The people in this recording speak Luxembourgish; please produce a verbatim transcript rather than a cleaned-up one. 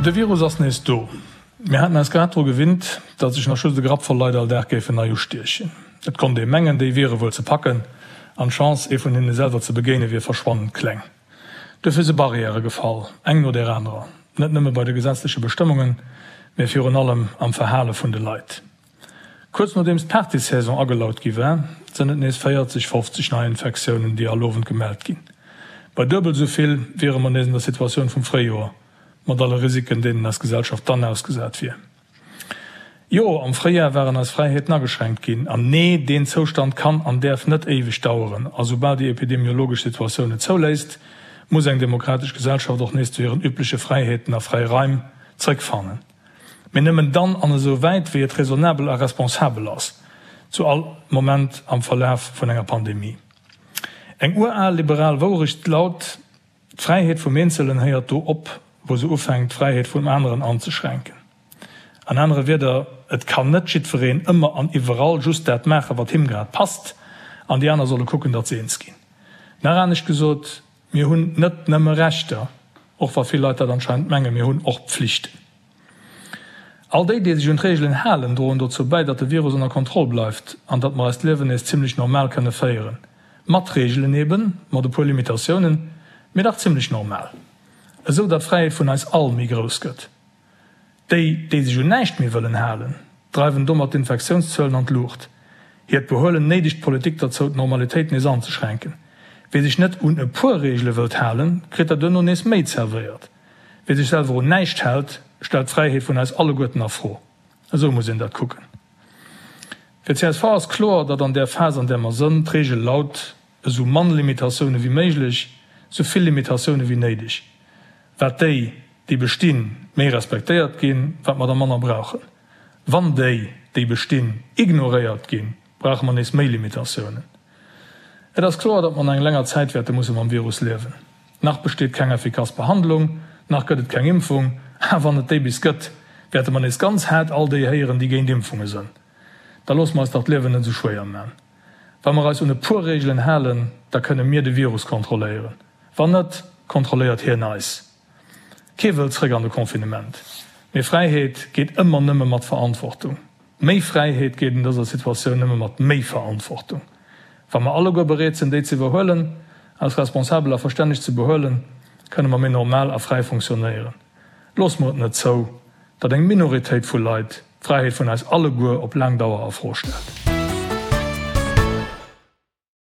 De Virus ass nees do. Mir haten eis grad dru gewinnt, datt sech nach just e Grappvoll Leit all Dag géifen nei ustiechen. Et konnt ee mengen, déi wiere wuel ze packen, an d'Chance, ee vun hinne selwer ze begéine wier verschwannend kleng. Duerfir si Barrièrë gefall, eng no där anerer, net nëmme bei de gesetzleche Bestëmmungen, mee virun allem am Verhale vun de Leit. Kuerz nodeems d'Partysaison agelaut gi war, sënn et nees véierzeg, fofzeg Neiinfektiounen, déi all Owend gemellt ginn. Bei duebel esou vill wiere mer nees an der Situatioun vum Fréijoer, mat alle Risiken, deenen eis Gesellschaft dann ausgesat wier. Jo, am Fréijar waren eis Fräiheeten ageschränkt ginn. An nee, deen Zoustand kann an däerf net éiweg daueren. A soubal déi epidemiologesch Situatioun et zouléisst, muss eng demokratesch Gesellschaft och nees zu hiren übleche Fräiheeten a fräi Raim zréckfannen. Mee nëmmen dann an esou wäit, wéi et raisonnabel a responsabel ass, zu all Moment am Verlaf vun enger Pandemie. Eng ural liberal Wourecht laut, D'Fräiheet vum Eenzelen héiert do op, wou se ufänkt, d'Fräiheet vum aneren anzeschränken. An anere Wierder, Et kann net jiddwereen ëmmer an iwwerall just dat maachen, wat him grad passt, an déi aner solle kucken, datt se eens ginn. Nach anescht gesot, Mir hunn net nëmme Rechter, och wa vill Leit dat anscheinend mengen, mir hunn och Pflichten. All déi, déi sech un d'Reegelen halen, droen dozou bäi, datt de Virus ënner Kontroll bleift an datt mer eist Liewen nees zimmlech normal kënne féieren. Mat Reegelen eben, mat e puer Limitatiounen, mee dach zimmlech normal. Esou datt d'Fräiheet vun eis all méi grouss gëtt. Déi, déi sech un näischt méi wëllen halen, dreiwen domat d'Infektiounszuelen an d'Luucht. Hiert Behuelen néidegt d'Politik derzou, d'Normalitéit nees anzeschränken. Wie sech net un e puer Reegele wëllt halen, kritt der duerno nees méi zerwéiert. Wie sech selwer un näischt hält, stellt d'Fräiheet vun eis alleguerten a Fro. Esou muss een dat kucken. Fir csv ass kloer, datt an där Phas, an där mer sënn, d'Reegel laut, esou mann Limitatioune wéi méiglech, esou vill Limitatioune wéi néideg. Wat déi, déi bestinn, méi respektéiert ginn, wat mer der manner brauchen. Wann déi, déi bestinn, ignoréiert ginn, brauche mer nees méi Limitatiounen. Et ass kloer, datt mer nach eng länger Zäit wäerte musse mam Virus liewen. Nach besteet keng effikass Behandlung, nach gëtt et keng Impfung. A wann et déi bis gëtt, wäerte mer nees ganz haart all déi héieren, déi géint Impfunge sënn. Da loosse mer eis dach d'Liewen net esou schwéier man. Wa mer eis un e puer Reegelen halen, da kënne mir de Virus kontrolléieren. Wann net, kontrolléiert hien eis. Kee wëllt zréck an de Confinement. Mee Fräiheet geet ëmmer nëmme mat Verantwortung. Méi Fräiheet geet an dëser Situatioun nëmme mat méi Verantwortung. Wa mer alleguer bereet sinn, déi ze iwwerhuelen, eis responsabel a verstänneg ze behuelen, kënne mer méi normal a fräi funktionéieren. Loosse mer et net zou, datt eng Minoritéit vu Leit d'Fräiheet vun eis alleguer op laang Dauer a Fro stellt.